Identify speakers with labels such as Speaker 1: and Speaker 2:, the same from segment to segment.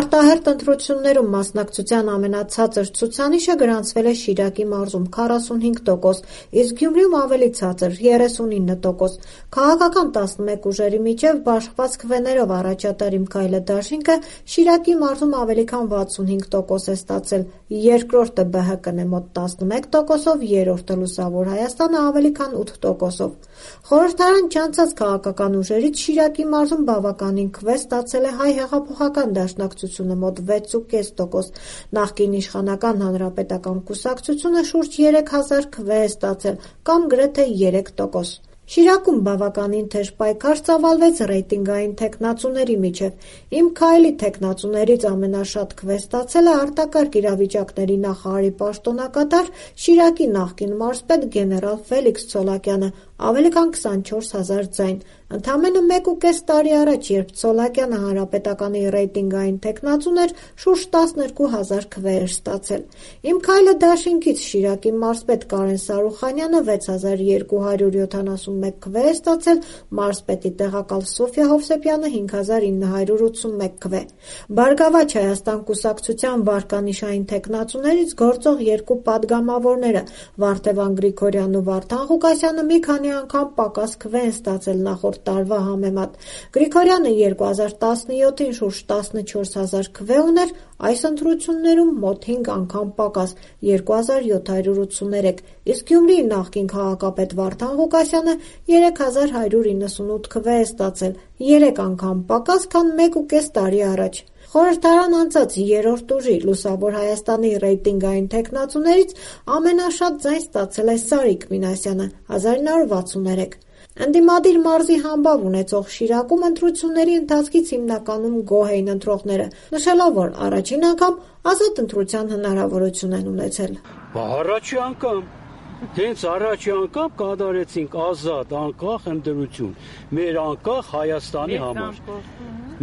Speaker 1: Արտահերթ ընտրություններում մասնակցության ամենացածր ցուցանիշը գրանցվել է Շիրակի մարզում 45%, իսկ Գյումրիում ավելի ցածր 39%։ Քաղաքական 11 ուժերի միջև բաշխված քվեներով առաջատար «Իմ քայլը» դաշինքը Շիրակի մարզում ավելի քան 65% է ստացել, երկրորդը ԲՀԿ-ն է մոտ 11%-ով, երրորդը Լուսավոր Հայաստանը ավելի քան 8%-ով։ Խորհրդարան չանցած քաղաքական ուժերից Շիրակի մարզում բավականին քվե ստացել է Հայ հեղափոխական դաշնակցությունը մոտ 6,5%, նախկին իշխանական Հանրապետական կուսակցությունը շուրջ 3000 քվե է ստացել կամ գրեթե 3%։ Շիրակում բավականին թեժ պայքար ծավալվեց ռեյտինգային թեկնածուների միջև։ «Իմ քայլի» թեկնածուներից ամենաշատ քվե ստացել է արտակարգ իրավիճակների նախարարի պաշտոնակատար Շիրակի նախկին մարզպետ գեներալ Ֆելիքս Ցոլակյանը՝ ավելի քան 24000 ձայն։ Ընդամենը 1,5 տարի առաջ, երբ Ցոլակյանը հանրապետականի ռեյտինգային թեկնածուն էր, շուրջ 12000 քվե էր ստացել։ «Իմ քայլը» դաշինքից Շիրակի մարզպետ Կարեն Սարուխանյանը 6271 քվե է ստացել, մարզպետի տեղակալ Սոֆյա Հովսեփյանը 5981 քվե։ «Բարգավաճ Հայաստան» կուսակցության վարկանիշային թեկնածուներից գործող երկու падգամավորները՝ Վարդևան Գրիգորյանն ու Վարդան Ղուկասյանը մի քանի անգամ պակաս քվե են ստացել նախորդ տարվա համեմատ։ Գրիգորյանը 2017-ին շուրջ 14000 քվե ուներ, այս ընտրություններում մոտ 5 անգամ պակաս՝ 2783, իսկ Գյումրիի նախկին քաղաքապետ Վարդան Ղուկասյանը 3198 քվե է ստացել, 3 անգամ պակաս, քան 1,5 տարի առաջ։ Խորհրդարան անցած երրորդ ուժի՝ Լուսավոր Հայաստանի ռեյտինգային թեկնածուներից ամենաշատ ձայն ստացել է Սարիկ Մինասյանը՝ 1963։ Ընդդիմադիր մարզի համբավ ունեցող Շիրակում ընտրությունների ընթացքից հիմնականում գոհ էին ընտրողները, նշելով, որ առաջին անգամ ազատ ընտրության հնարավորություն են ունեցել։
Speaker 2: Առաջի անգամ, հենց առաջի անգամ կատարեցինք ազատ, անկախ ընտրություն, մեր անկախ Հայաստանի համար,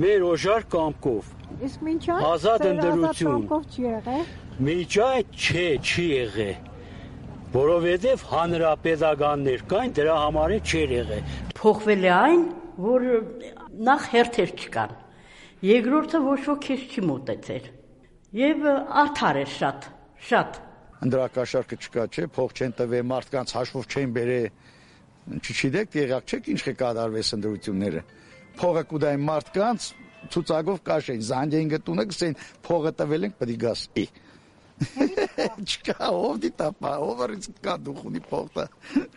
Speaker 2: մեր օժար կամքով։
Speaker 3: Իսկ մինչ այդ
Speaker 2: ազատ ընտրություն
Speaker 3: չի եղել։
Speaker 2: Մինչ այդ չի եղել, որովհետև հանրապետականներ կային, դրա համար չէր եղել։
Speaker 4: Փոխվել է այն, որ նախ հերթեր չկան, երկրորդը ոչ ոք քեզ չի մոտեցել եւ արդար էր շատ։
Speaker 5: Ընդրակաշարքը չկա, չէ, փող չեն տվել, մարդկանց հաշվով չեն բերել, չգիտեք, տեղյակ չեք ինչ կկատարվես ընտրությունները։ Փողը կուտային մարդկանց ցուցակով կաշեն, զանգեին գտունը գսեն, փողը տվել ենք, պետք է գաս։ Չկա, ով դիտապա, ով արից կա դուխ ունի փողը,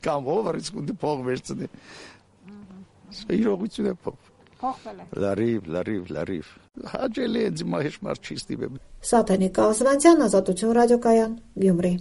Speaker 5: կամ ով արից ունի փող վերցնի։ Իրողություն է փող։
Speaker 3: Փոխվել է։
Speaker 5: Լարիվ։ Հաջելի է ձմա հեշ մարդ չի ստիպել։
Speaker 1: Սաթենիկ Կազվանցյան, Ազատություն ռադիոկայան, Գյումրի։